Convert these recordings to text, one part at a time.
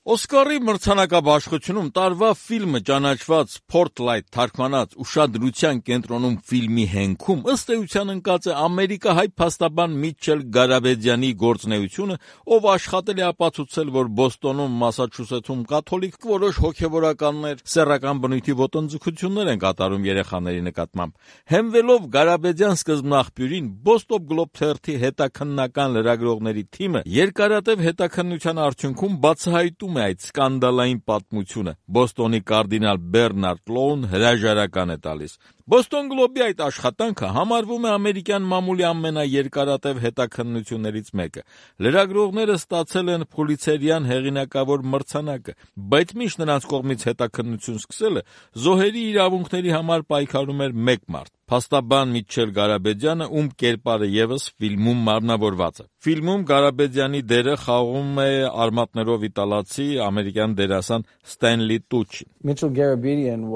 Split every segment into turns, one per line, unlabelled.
Օսկարի մրցանակաբաշխությունում տարվա ֆիլմը ճանաչված Spotlight թարգմանած ուշադրության կենտրոնում ֆիլմի հենքում ըստ էության ընկած է ամերիկահայ փաստաբան Միչել Գարաբեդյանի գործունեությունը, ով աշխատել է ապացուցել, որ Բոստոնում, Մասաչուսեթսում կաթոլիկ որոշ հոգևորականներ սեռական բնույթի ոտնձգություններ են կատարում երեխաների նկատմամբ։ Հենվելով Գարաբեդյան սկզբնաղբյուրին, Boston Globe թերթի հետաքննական լրագրողների թիմը երկարատև հետաքննության արդյունքում բացահայտում է այդ սկանդալային պատմությունը։ Բոստոնի կարդինալ Բեռնարդ Լոուն հրաժարական է տալիս։ Boston Globe-ի այդ աշխատանքը համարվում է ամերիկյան մամուլի ամենաերկարատև հետաքննություններից մեկը։ Լրագրողները ստացել են Փուլիցերյան հեղինակավոր մրցանակը, բայց միշտ նրանց կողմից հետաքննություն սկսելը զոհերի իրավունքների համար պայքարում էր մեկ մարդ՝ փաստաբան Միչել Գարաբեդյանը, ում կերպարը ևս ֆիլմում մարմնավորված է։ Ֆիլմում Գարաբեդյանի դերը խաղում է արմատներով իտալացի ամերիկյան դերասան Ստենլի Տուչին։
Mitchell Garabedian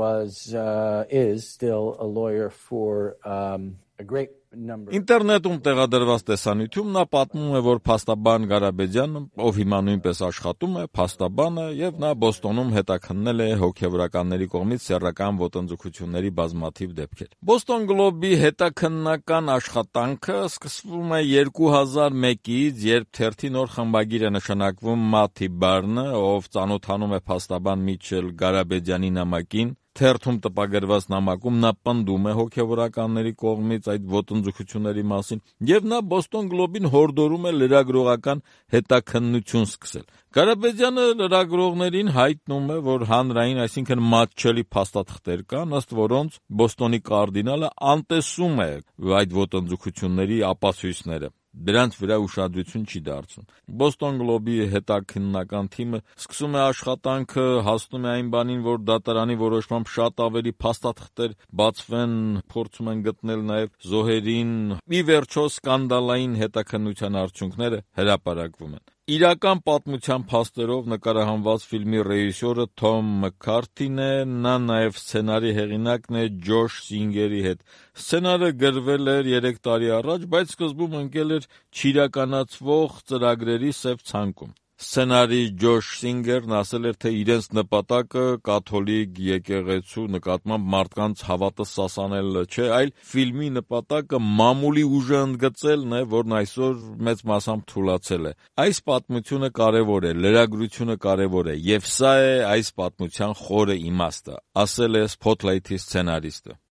is still a lawyer for a great number.
Ինտերնետում տեղադրված տեսանյութում նա պատմում է, որ փաստաբան Գարաբեդյանը, ով հիմա նույնպես աշխատում է, փաստաբան է եւ նա Բոստոնում հետաքննել է հոգեվորականների կողմից սեռական ոտնձգությունների բազմաթիվ դեպքեր։ Boston Globe-ի հետաքննական աշխատանքը սկսվում է 2001-ից, երբ թերթի նոր խմբագիր է նշանակվում Մաթի Բարնը, ով ծանոթանում է փաստաբան Միչել Գարաբեդյանի նամակին։ Թերթում տպագրված նամակում նա պնդում է հոգևորականների կողմից այդ ոտնձգությունների մասին, եւ նա Boston Globe-ին հորդորում է լրագրողական հետաքննություն սկսել։ Գարաբեդյանը լրագրողներին հայտնում է, որ հանրային, այսինքն մատչելի փաստաթղթեր կան, ըստ որոնց Բոստոնի կարդինալը անտեսում է այդ ոտնձգությունների ապացույցները։ Դրանց վրա ուշադրություն չի դարձնում։ Boston Globe-ի հետաքննական թիմը սկսում է աշխատանքը, հասնում է այն բանին, որ դատարանի որոշմամբ շատ ավելի փաստաթղթեր բացվեն, փորձում են գտնել նաև զոհերին։ Ի վերջո սկանդալային հետաքննության արդյունքները հրապարակվում են։ Իրական պատմության փաստերով նկարահանված ֆիլմի ռեժիսորը Թոմ Մքքարթին է, նա նաև սցենարի հեղինակն է Ջոշ Սինգերի հետ։ Սցենարը գրվել էր 3 տարի առաջ, բայց սկզբում ընկել էր չիրականացվող ծրագրերի սև ցանկում։ Սցենարի Ջոշ Սինգերն ասել էր, թե իրենց նպատակը կաթոլիկ եկեղեցու նկատմամբ մարդկանց հավատը սասանելը չէ, այլ ֆիլմի նպատակը մամուլի ուժը ընդգծելն է, որն այսօր մեծ մասամբ թուլացել է։ Այս պատմությունը կարևոր է, լրագրությունը կարևոր է, եւ սա է այս պատմության խորը իմաստը, ասել է Spotlight-ի սցենարիստը։